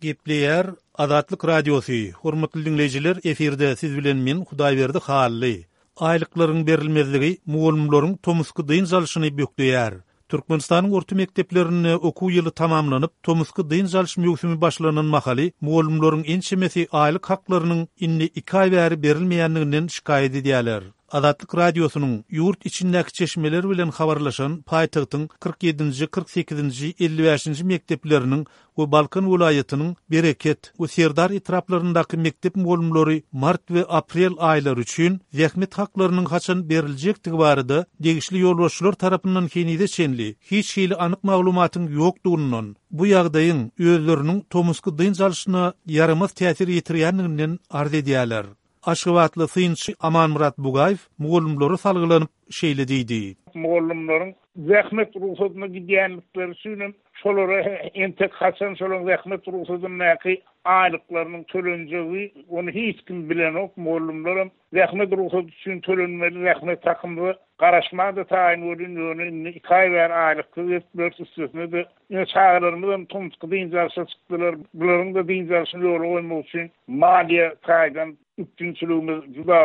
Gepleýär Azatlyk Radiosy, Hormatly diňleýjiler, efirde siz bilen men Hudaýberdi Hally. Aýlyklaryň berilmezligi mugallymlaryň tomusky dynç alşyny bökdeýär. Türkmenistanyň orta mekdeplerinde okuw ýyly tamamlanyp, tomusky dynç alyş möwsümi başlanan mahaly mugallymlaryň ençemesi aýlyk haklarynyň indi iki aý bäri berilmeýändiginden şikaýat edýärler. Azatlyk Radiosynyň ýurt içindäki çeşmeler bilen habarlaşan paýtagtyň 47-nji, 48-nji, 55-nji mekdepleriniň we Balkan welaýatynyň Bereket we Serdar etraplaryndaky mekdep mugallymlary mart we aprel aýlary üçin zähmet haklarynyň haçan beriljekdigi barada degişli ýolbaşçylar tarapyndan henize çenli hiç hili anyk maglumatyň ýokdugyndan, bu ýagdaýyň özleriniň tomusky dynç alşyna ýaramaz täsir ýetirýändiginden arz edýärler. Aşgabatly synçy Amanmyrat Bugaýew mugallymlara salgylanyp şeýle diýdi. Mugallymlaryň zähmet rugsadyna gidýändikleri üçin hem şolara entek haçan şolaryň zähmet rugsadyndaky aýlyklarynyň tölenjegi ony hiç kim bilenok, mugallymlaram zähmet rugsady üçin tölenmeli zähmet hakymyza garaşmaga-da taýyn welin ýöne indi iki aý bäri aýlyksyz gezip ýörüs üstesine-de ine çagalarymyzam tomusky dynç alşa çykdylar bularyň-da dynç alşyny ýola goýmak üçin maliýe taýdan üpjünçiligimiz juda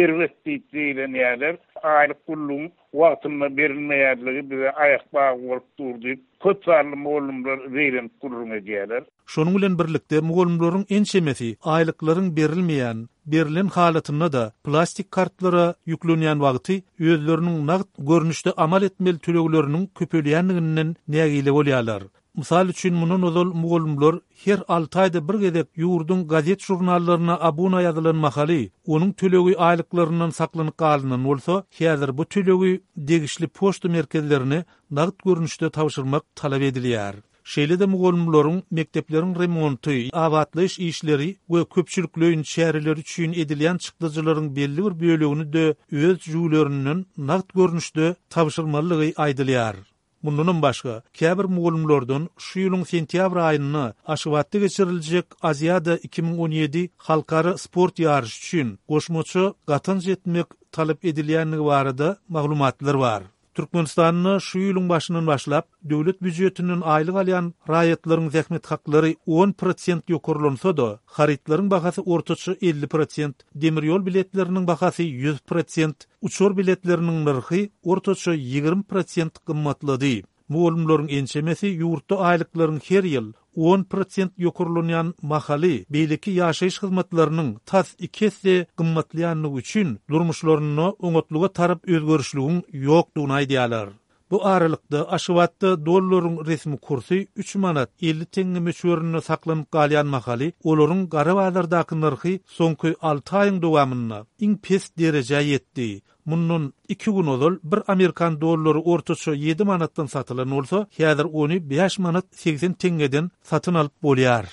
erbet diýip zeýrenýärler. Aýlyk gullugyň wagtynda berilmeýänligi bize aýakbagy bolup dur diýip, köp sanly mugallymlar zeýrenip gürrüň edýärler. Şonuň bilen birlikde, mugallymlaryň ençemesi aýlyklaryň berilmeýän, berlen halatynda-da plastik kartlara ýüklenýän wagty özleriniň nagt görnüşde amal etmeli tölegleriniň köpelýändiginden nägile bolýarlar. Mysal üçin, mundan ozal mugallymlar her alty aýda bir gezek ýurduň gazet-žurnallaryna abuna ýazylan mahaly, onuň tölegi aýlyklaryndan saklanyp galynan bolsa, häzir bu tölegi degişli poçta merkezlerine nagt görnüşde tabşyrmak talap edilýär. Şeýle-de mugallymlaryň mekdepleriň remonty, abatlaýyş işleri we köpçülikleýin çäreler üçin edilýän çykdajylaryň belli bir bölegini-de öz jübülerinden nagt görnüşde tabşyrmalydygy aýdylýar. Mundanam başga, käbir mugallymlardan şu ýylyň sentýabr aýynda Aşgabatda geçiriljek Aziada 2017 halkara sport ýaryşy üçin goşmaça gatanç etmek talap edilýändigi barada maglumatlar bar. Türkmenistanda şu ýylyň başyndan başlap, döwlet býujetinden aýlyk alýan raýatlaryň zähmet haklary on prosent ýokarlansa-da, harytlaryň bahasy ortaça 50 prosent, demir ýol biletleriniň bahasy 100 prosent, Uçar biletleriniň nyrhy ortaça 20 prosent gymmatlady. Mugallymlaryň ençemesi ýurtda aýlyklaryň her ýyl on prosent ýokarlanýan mahaly beýleki ýaşaýyş hyzmatlarynyň tas iki esse gymmatlaýandygy üçin durmuşlarynda oňatlyga tarap özgerişligiň ýokdugyny aýdýarlar. Bu aralykda, Aşgabatda dollaryň resmi kursy üç manat 50 teňňe möçberinde saklanyp galýan mahaly, olaryň gara bazardaky nyrhy soňky alty aýyň dowamynda iň pes derejä ýetdi. Mundan iki gün ozal bir amerikan dollary ortaça ýedi manatdan satylan bolsa, häzir ony bäş manat 80 teňňeden satyn alyp bolýar.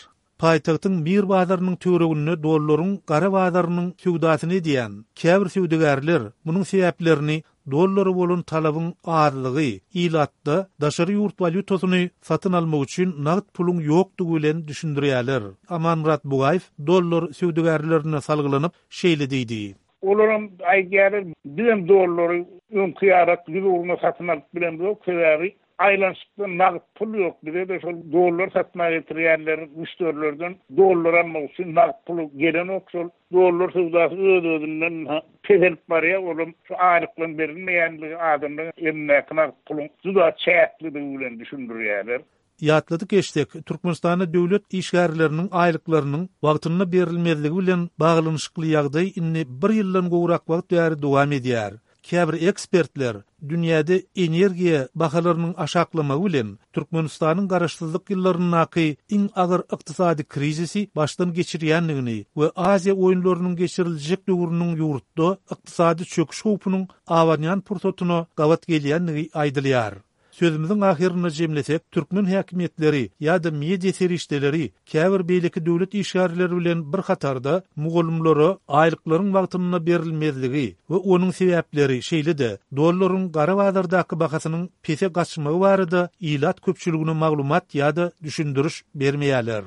Paýtagtyň Mir bazarynyň töwereginde dollaryň gara bazarynyň söwdasyny edýän käbir söwdagärler munuň sebäplerini dollara bolan talabyň azlygy, ilatda daşary ýurt walýutasyny satyn almak üçin nagt puluň ýokdugy bilen düşündirýärler. Amanmyrat Bugaýew dollar söwdagärlerine salgylanyp, şeýle diýdi. Olaram aýdýarlar, bizem dollary öňki ýarak ýüz ugruna satyn alyp bilemzok, sebäbi Aýlanyşykda nagt pul ýok, bize-de şol dollar satmaga getirýänler müşderilerden dollar almak üçin nagt puly gelenok, şol dollar söwdasy öz-özünden peselip barýar, olam şu aýlyklaryň berilmeýänligi adamlaryň elindäki nagt puluň juda çäklidigi bilen düşündirýärler. Ýatladyp geçsek, Türkmenistanda döwlet işgärleriniň aýlyklarynyň wagtynda berilmezligi bilen baglanyşykly ýagdaý indi bir ýyldan gowrak wagt bäri dowam edýär. Käbir ekspertler dünýäde energiýa bahalarynyň aşaklamagy bilen Türkmenistanyň garaşsyzlyk ýyllaryndaky iň agyr ykdysady krizisi başdan geçirýändigini we Aziýa oýunlarynyň geçiriljek döwrüniň ýurtda ykdysady çöküş howpunyň abanýan pursatyna gabat gelýändigi aýdylýar. Sözümiziň ahyrynda jemlesek, türkmen häkimiýetleri ýa-da media serişdeleri käbir beýleki döwlet işgärleri bilen bir hatarda mugallymlara aýlyklaryň wagtynda berilmezligi we onuň sebäpleri, şeýle-de dollaryň gara bazardaky bahasynyň pese gaçmagy barada ilat köpçüligine maglumat ýa-da düşündiriş bermeýärler.